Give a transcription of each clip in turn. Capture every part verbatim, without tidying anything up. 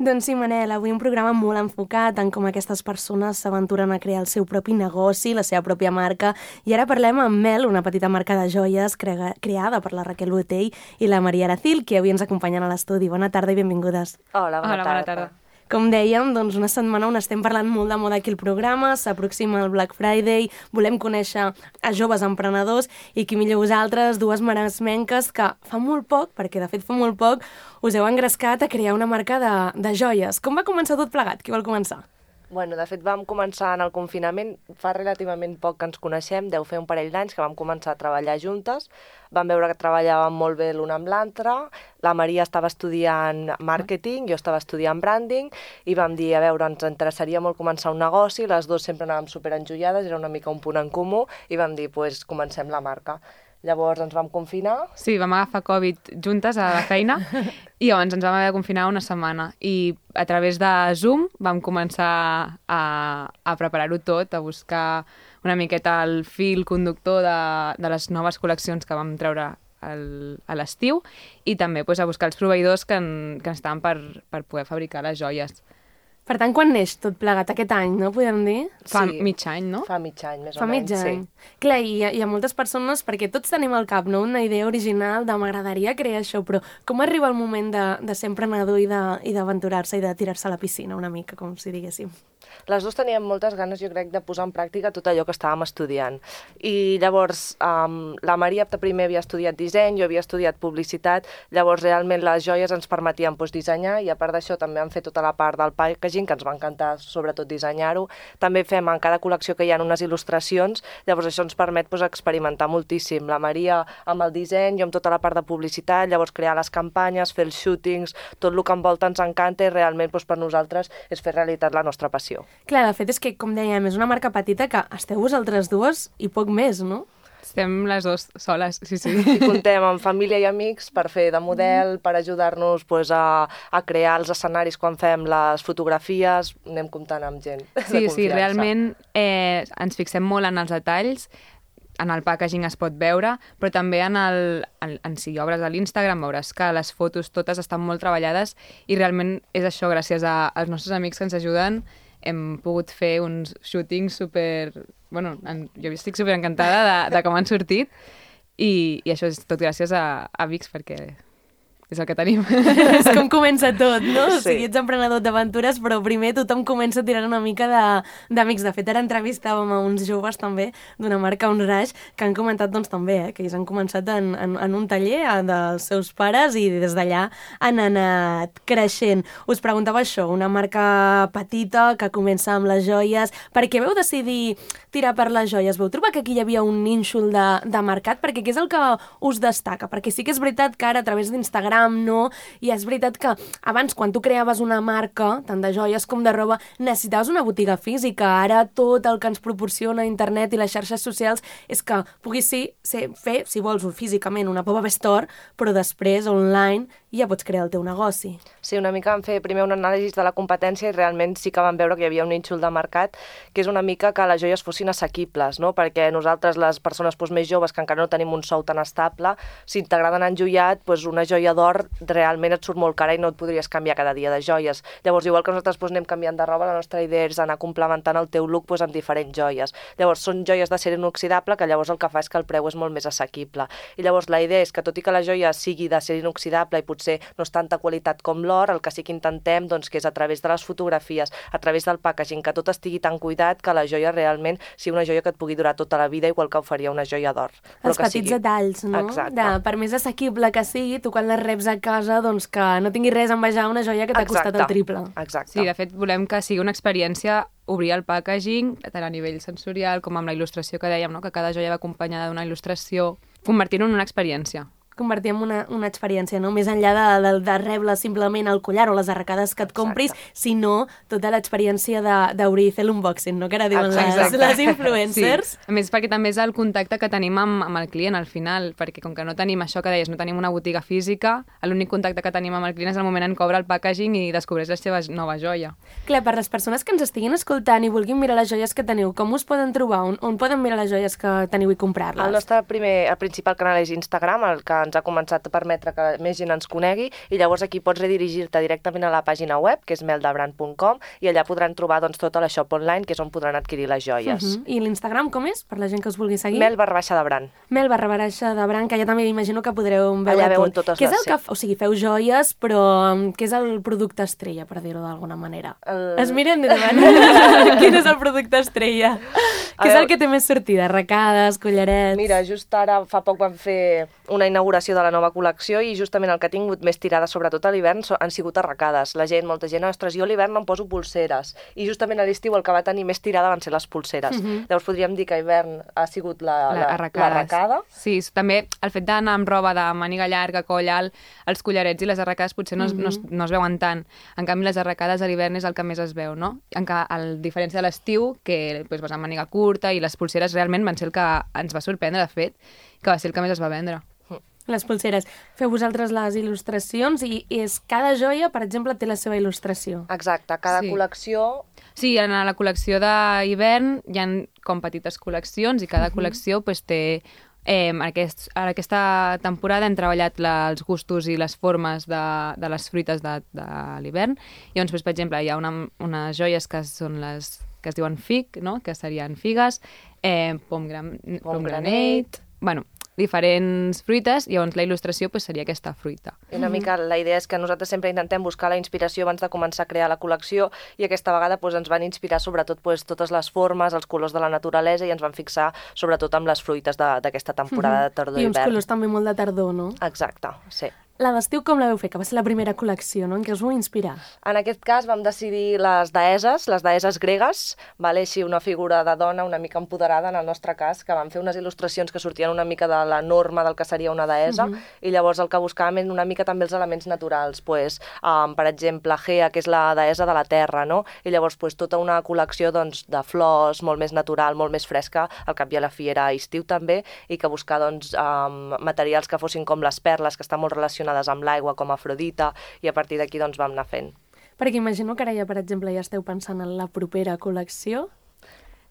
Doncs sí, Manel, avui un programa molt enfocat en com aquestes persones s'aventuren a crear el seu propi negoci, la seva pròpia marca, i ara parlem amb Mel, una petita marca de joies crea creada per la Raquel Botell i la Maria Aracil, que avui ens acompanyen a l'estudi. Bona tarda i benvingudes. Hola, bona, Hola, tarda. bona tarda. Com dèiem, doncs una setmana on estem parlant molt de moda aquí al programa, s'aproxima el Black Friday, volem conèixer a joves emprenedors i qui millor vosaltres, dues maresmenques que fa molt poc, perquè de fet fa molt poc, us heu engrescat a crear una marca de, de joies. Com va començar tot plegat? Qui vol començar? Bueno, de fet vam començar en el confinament, fa relativament poc que ens coneixem, deu fer un parell d'anys que vam començar a treballar juntes, vam veure que treballàvem molt bé l'una amb l'altra, la Maria estava estudiant màrqueting, jo estava estudiant branding, i vam dir, a veure, ens interessaria molt començar un negoci, les dues sempre anàvem superenjoiades, era una mica un punt en comú, i vam dir, pues, comencem la marca. Llavors ens vam confinar. Sí, vam agafar Covid juntes a la feina i llavors ens vam haver de confinar una setmana. I a través de Zoom vam començar a, a preparar-ho tot, a buscar una miqueta el fil conductor de, de les noves col·leccions que vam treure el, a l'estiu i també pues, a buscar els proveïdors que, en, que estaven per, per poder fabricar les joies. Per tant, quan neix tot plegat? Aquest any, no? Podem dir? Fa Sí. mig any, no? Fa mig any, més Fa o menys, mig any. sí. Clar, i hi, ha, hi ha moltes persones, perquè tots tenim al cap, no?, una idea original de m'agradaria crear això, però com arriba el moment de, de ser emprenedor i de- i d'aventurar-se i de tirar-se a la piscina una mica, com si diguéssim? Les dues teníem moltes ganes, jo crec, de posar en pràctica tot allò que estàvem estudiant. I llavors, um, la Maria primer havia estudiat disseny, jo havia estudiat publicitat, llavors realment les joies ens permetien doncs, dissenyar, i a part d'això també vam fer tota la part del packaging, que ens va encantar sobretot dissenyar-ho. També fem en cada col·lecció que hi ha unes il·lustracions, llavors això ens permet doncs, experimentar moltíssim. La Maria amb el disseny, jo amb tota la part de publicitat, llavors crear les campanyes, fer els shootings, tot el que envolta ens encanta i realment doncs, per nosaltres és fer realitat la nostra passió. Clar, de fet és que, com dèiem, és una marca petita que esteu vosaltres dues i poc més, no? Estem les dues soles, sí, sí. I comptem amb família i amics per fer de model, per ajudar-nos pues, a, a crear els escenaris quan fem les fotografies, anem comptant amb gent de Sí, confiança. sí, realment eh, ens fixem molt en els detalls, en el packaging es pot veure, però també en, el, en, en si obres a l'Instagram veuràs que les fotos totes estan molt treballades i realment és això, gràcies a, als nostres amics que ens ajuden, hem pogut fer uns shootings super... Bueno, en, jo estic super encantada de, de com han sortit i, i això és tot gràcies a, a Vix perquè és el que tenim. És com comença tot, no? O Sí. sigui, ets emprenedor d'aventures, però primer tothom comença tirant una mica de- d'amics. De, de fet, ara entrevistàvem a uns joves també d'una marca On Rush que han comentat doncs també eh, que ells han començat en, en, en un taller eh, dels seus pares i des d'allà han anat creixent. Us preguntava això, una marca petita que comença amb les joies. Per què veu decidir tirar per les joies? Veu trobar que aquí hi havia un nínxol de, de mercat? Perquè què és el que us destaca? Perquè sí que és veritat que ara a través d'Instagram no, i és veritat que abans quan tu creaves una marca, tant de joies com de roba, necessitaves una botiga física. Ara tot el que ens proporciona internet i les xarxes socials és que puguis sí, ser, fer, si vols, físicament una pop-up store, però després online ja pots crear el teu negoci. Sí, una mica vam fer primer un anàlisi de la competència i realment sí que vam veure que hi havia un nínxol de mercat, que és una mica que les joies fossin assequibles, no? Perquè nosaltres, les persones doncs, més joves, que encara no tenim un sou tan estable, si t'agraden enjoiat, doncs una joia d'or realment et surt molt cara i no et podries canviar cada dia de joies. Llavors, igual que nosaltres doncs, anem canviant de roba, la nostra idea és anar complementant el teu look doncs, amb diferents joies. Llavors, són joies d'acer inoxidable, que llavors el que fa és que el preu és molt més assequible. I llavors la idea és que, tot i que la joia sigui d'acer inoxidable i potser no és tanta qualitat com l'or, el que sí que intentem doncs, que és a través de les fotografies, a través del packaging, que tot estigui tan cuidat que la joia realment sigui una joia que et pugui durar tota la vida, igual que ho faria una joia d'or. Els petits detalls, no? Exacte. De, per més assequible que sigui, tu quan les reps a casa, doncs que no tinguis res a envejar una joia que t'ha costat el triple. Exacte. Sí, de fet, volem que sigui una experiència obrir el packaging, tant a nivell sensorial com amb la il·lustració que dèiem, no? Que cada joia va acompanyada d'una il·lustració, convertir-ho en una experiència. Convertir en una, una experiència, no? Més enllà de, de, de rebre simplement el collar o les arracades que et compris, Exacte. sinó tota l'experiència de- d'obrir i fer l'unboxing, no? Que ara diuen les, Exacte. les influencers. Sí. A més, perquè també és el contacte que tenim amb, amb el client al final, perquè com que no tenim això que deies, no tenim una botiga física, l'únic contacte que tenim amb el client és el moment en què obre el packaging i descobreix la seva nova joia. Clar, per les persones que ens estiguin escoltant i vulguin mirar les joies que teniu, com us poden trobar? On, on poden mirar les joies que teniu i comprar-les? El nostre primer, el principal canal és Instagram, el que ens ens ha començat a permetre que més gent ens conegui, i llavors aquí pots redirigir-te directament a la pàgina web, que és mel de brand punt com, i allà podran trobar doncs, tota la shop online, que és on podran adquirir les joies. Uh -huh. I l'Instagram com és, per la gent que us vulgui seguir? Mel barra baixa de brand. Mel barra baixa de brand, que ja també imagino que podreu veure allà veuen tot. totes Què és les... el que... O sigui, feu joies, però um, què és el producte estrella, per dir-ho d'alguna manera? El... Es miren i diuen, quin és el producte estrella? Què és el que té més sortida? Arracades, collarets... Mira, just ara fa poc vam fer una inauguració de la nova col·lecció i justament el que ha tingut més tirada, sobretot a l'hivern, han sigut arracades. La gent, molta gent, ostres, jo a l'hivern em poso pulseres. I justament a l'estiu el que va tenir més tirada van ser les pulseres. Uh -huh. Llavors podríem dir que a hivern ha sigut la, la, l'arracada. Sí, també el fet d'anar amb roba de màniga llarga, coll alt, els collarets i les arracades potser no, uh -huh. no, es, no es veuen tant. En canvi, les arracades a l'hivern és el que més es veu, no? En ca, a diferència de l'estiu, que pues, vas amb màniga curta, i les pulseres realment van ser el que ens va sorprendre, de fet, que va ser el que més es va vendre. Les pulseres. Feu vosaltres les il·lustracions i és cada joia, per exemple, té la seva il·lustració. Exacte, cada sí. col·lecció... Sí, en la col·lecció d'hivern hi ha com petites col·leccions i cada uh-huh. col·lecció pues, té... Eh, aquest, en aquesta temporada hem treballat la, els gustos i les formes de, de les fruites de, de l'hivern. Llavors, pues, per exemple, hi ha una, unes joies que són les que es diuen fig, no? Que serien figues, eh, pomgranate, pomgranate, bueno, diferents fruites, i llavors la il·lustració pues, seria aquesta fruita. I una mica la idea és que nosaltres sempre intentem buscar la inspiració abans de començar a crear la col·lecció, i aquesta vegada pues, ens van inspirar sobretot pues, totes les formes, els colors de la naturalesa, i ens van fixar sobretot amb les fruites d'aquesta temporada de tardor i I hivern. uns colors també molt de tardor, no? Exacte, sí. La d'estiu com la vau fer? Que va ser la primera col·lecció, no? En què us vau inspirar? En aquest cas vam decidir les deeses, les deeses gregues, vale? Així una figura de dona una mica empoderada, en el nostre cas, que vam fer unes il·lustracions que sortien una mica de la norma del que seria una deessa, uh-huh. i llavors el que buscàvem és una mica també els elements naturals, pues, um, per exemple, Gea, que és la deessa de la terra, no? I llavors pues, tota una col·lecció doncs, de flors, molt més natural, molt més fresca, al cap i a la fi era estiu també, i que buscar doncs, um, materials que fossin com les perles, que estan molt relacionades amb l'aigua, com Afrodita, i a partir d'aquí doncs, vam anar fent. Perquè imagino que ara ja, per exemple, ja esteu pensant en la propera col·lecció.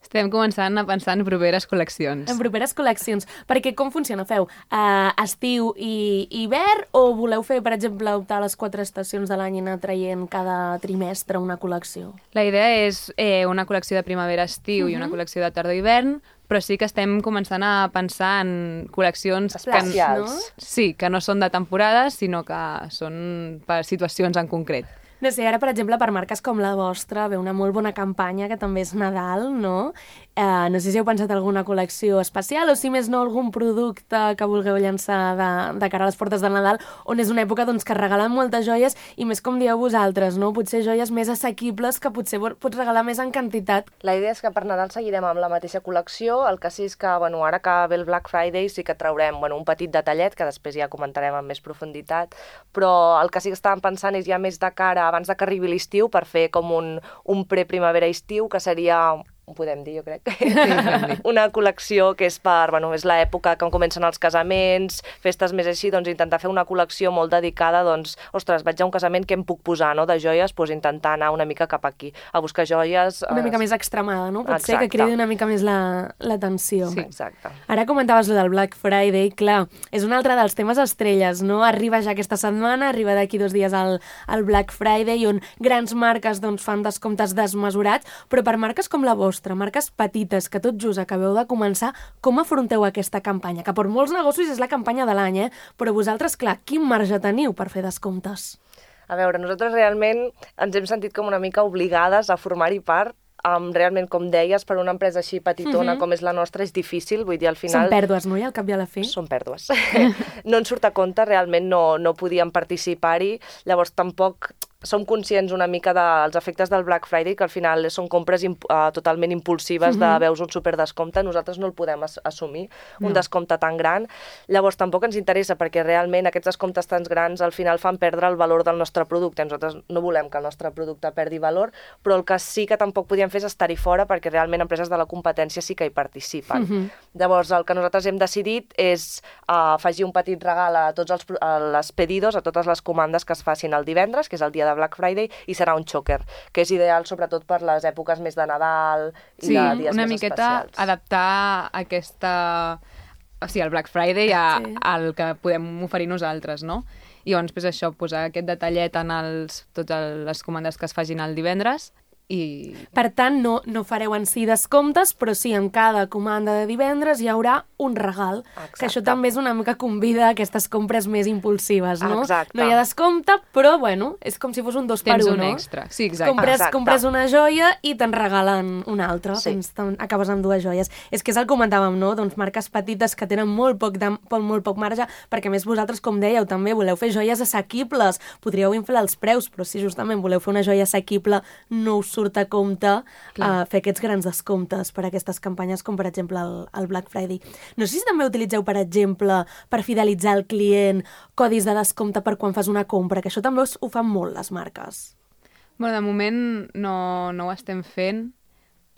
Estem començant a pensar en properes col·leccions. En properes col·leccions. Perquè com funciona? Feu uh, estiu i hivern, o voleu fer, per exemple, optar a les quatre estacions de l'any i anar traient cada trimestre una col·lecció? La idea és eh, una col·lecció de primavera-estiu uh-huh. i una col·lecció de tardor-hivern, però sí que estem començant a pensar en col·leccions especials, que, no? Sí, que no són de temporades, sinó que són per situacions en concret. No sé, ara, per exemple, per marques com la vostra, ve una molt bona campanya, que també és Nadal, no? Eh, no sé si heu pensat alguna col·lecció especial, o si més no algun producte que vulgueu llançar de, de cara a les portes de Nadal, on és una època doncs, que regalen moltes joies, i més com dieu vosaltres, no? Potser joies més assequibles que potser pots regalar més en quantitat. La idea és que per Nadal seguirem amb la mateixa col·lecció, el que sí és que, bueno, ara que ve el Black Friday sí que traurem bueno, un petit detallet, que després ja comentarem amb més profunditat, però el que sí que estàvem pensant és ja més de cara abans de que arribi l'estiu, per fer com un, un pre-primavera-estiu, que seria ho podem dir, jo crec. Sí, una col·lecció que és per, bueno, és l'època que comencen els casaments, festes més així, doncs intentar fer una col·lecció molt dedicada, doncs, ostres, vaig a un casament, què em puc posar, no?, de joies, doncs intentar anar una mica cap aquí, a buscar joies... Una mica més extremada, no? Pot Exacte. ser que cridi una mica més l'atenció. Sí, exacte. Ara comentaves lo del Black Friday, clar, és un altre dels temes estrelles, no? Arriba ja aquesta setmana, arriba d'aquí dos dies al, al Black Friday, on grans marques doncs, fan descomptes desmesurats, però per marques com la vostra, marques petites, que tot just acabeu de començar, com afronteu aquesta campanya? Que per molts negocis és la campanya de l'any, eh? Però vosaltres, clar, quin marge teniu per fer descomptes? A veure, nosaltres realment ens hem sentit com una mica obligades a formar-hi part. Um, realment, com deies, per una empresa així petitona uh-huh. com és la nostra és difícil, vull dir, al final... Són pèrdues, no? I al cap i a la fi? Són pèrdues. No ens surt a compte, realment no, no podíem participar-hi, llavors tampoc som conscients una mica dels efectes del Black Friday, que al final són compres imp uh, totalment impulsives uh-huh. de veus un superdescompte, nosaltres no el podem as assumir, un no. descompte tan gran, llavors tampoc ens interessa, perquè realment aquests descomptes tan grans al final fan perdre el valor del nostre producte, nosaltres no volem que el nostre producte perdi valor, però el que sí que tampoc podíem fer és estar-hi fora, perquè realment empreses de la competència sí que hi participen. Uh-huh. Llavors el que nosaltres hem decidit és uh, afegir un petit regal a tots els a les pedidos, a totes les comandes que es facin el divendres, que és el dia de Black Friday, i serà un xoker, que és ideal sobretot per les èpoques més de Nadal i sí, de dies una més miqueta especials. Adaptar aquesta o sigui, el Black Friday a, Sí. al que podem oferir nosaltres, no? I llavors, pues, això, posar aquest detallet en els, totes les comandes que es facin el divendres i... Per tant, no, no fareu en si descomptes, però sí, en cada comanda de divendres hi haurà un regal, Exacte. que això també és una mica convida a aquestes compres més impulsives, no? Exacte. No hi ha descompte, però, bueno, és com si fos un dos per Tens un, un no? extra. Sí, exacte. Compres, Exacte. compres una joia i te'n regalen una altra. Sí. Tens, te'n- acabes amb dues joies. És que és el que comentàvem, no? Doncs marques petites que tenen molt poc, de, molt poc marge, perquè a més vosaltres, com dèieu, també voleu fer joies assequibles. Podríeu inflar els preus, però si justament voleu fer una joia assequible, no us surt a compte uh, fer aquests grans descomptes per a aquestes campanyes, com per exemple el, el Black Friday. No sé si també utilitzeu, per exemple, per fidelitzar el client, codis de descompte per quan fas una compra, que això també us, ho fan molt les marques. Bueno, de moment no, no ho estem fent,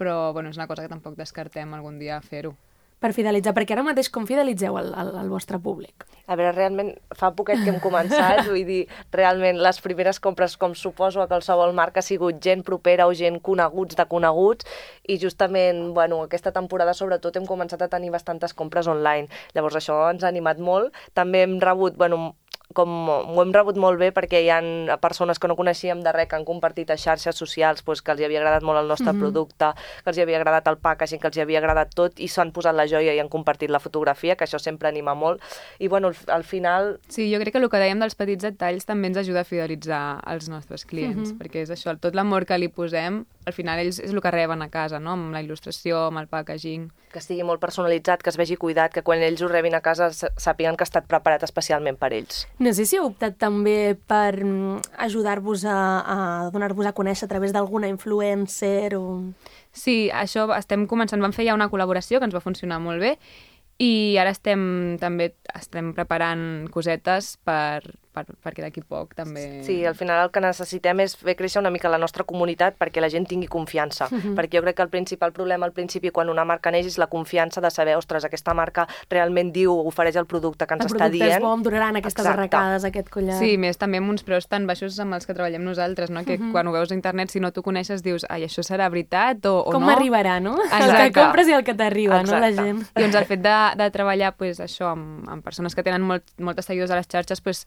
però bueno, és una cosa que tampoc descartem algun dia fer-ho. Per fidelitzar, perquè ara mateix com fidelitzeu el, el, el vostre públic? A veure, realment, fa poquet que hem començat, vull dir, realment, les primeres compres, com suposo a qualsevol marca, ha sigut gent propera o gent coneguts de coneguts, i justament, bueno, aquesta temporada, sobretot, hem començat a tenir bastantes compres online. Llavors, això ens ha animat molt. També hem rebut, bueno, com ho hem rebut molt bé perquè hi ha persones que no coneixíem de res que han compartit a xarxes socials pues, que els hi havia agradat molt el nostre mm-hmm. producte, que els hi havia agradat el packaging, que els hi havia agradat tot i s'han posat la joia i han compartit la fotografia, que això sempre anima molt. I bueno, al final... Sí, jo crec que el que dèiem dels petits detalls també ens ajuda a fidelitzar els nostres clients, mm-hmm. perquè és això, tot l'amor que li posem, al final ells és el que reben a casa, no? Amb la il·lustració, amb el packaging. Que estigui molt personalitzat, que es vegi cuidat, que quan ells ho rebin a casa sàpiguen que ha estat preparat especialment per ells. No sé si heu optat també per ajudar-vos a, a donar-vos a conèixer a través d'alguna influencer o... Sí, això estem començant, vam fer ja una col·laboració que ens va funcionar molt bé i ara estem també estem preparant cosetes per, per, perquè d'aquí poc també... Sí, al final el que necessitem és fer créixer una mica la nostra comunitat perquè la gent tingui confiança, mm-hmm. perquè jo crec que el principal problema al principi quan una marca neix és la confiança de saber, ostres, aquesta marca realment diu, ofereix el producte que ens el està dient. El producte és bo, em donaran aquestes Exacte. arracades, aquest collar... Sí, més també amb uns preus tan baixos amb els que treballem nosaltres, no? Que mm-hmm. quan ho veus a internet, si no t'ho coneixes, dius, ai, això serà veritat o, o Com no? Com m'arribarà, no? Exacte. El que compres i el que t'arriba, no, la gent? I doncs el fet de, de treballar pues, això amb, amb persones que tenen molt, moltes seguidors a les xarxes pues,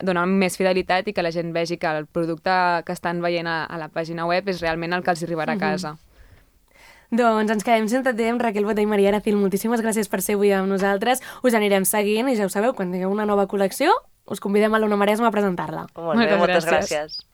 dona més fidelitat i que la gent vegi que el producte que estan veient a, a la pàgina web és realment el que els arribarà a casa. Mm-hmm. Doncs ens quedem sense temps. Raquel Botey i Maria Aracil, moltíssimes gràcies per ser avui amb nosaltres. Us anirem seguint i ja ho sabeu, quan tingueu una nova col·lecció us convidem a l'Ona Maresma a presentar-la. Molt bé, moltes gràcies. gràcies.